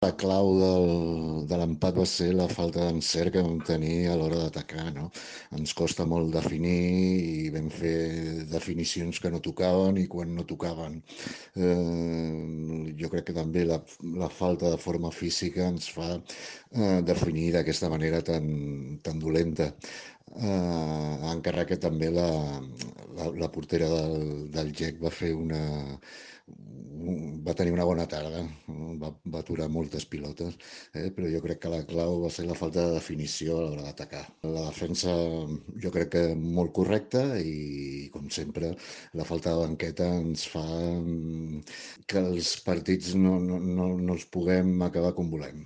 La clau de l'empat va ser la falta d'encert que vam tenir a l'hora d'atacar, no? Ens costa molt definir i vam fer definicions que no tocaven i quan no tocaven. Jo crec que també la falta de forma física ens fa definir d'aquesta manera tan dolenta. Encara que també la portera del GEC va tenir una bona tarda, va aturar moltes pilotes, però jo crec que la clau va ser la falta de definició a l'hora d'atacar. La defensa jo crec que molt correcta i, com sempre, la falta de banqueta ens fa que els partits no els puguem acabar com volem.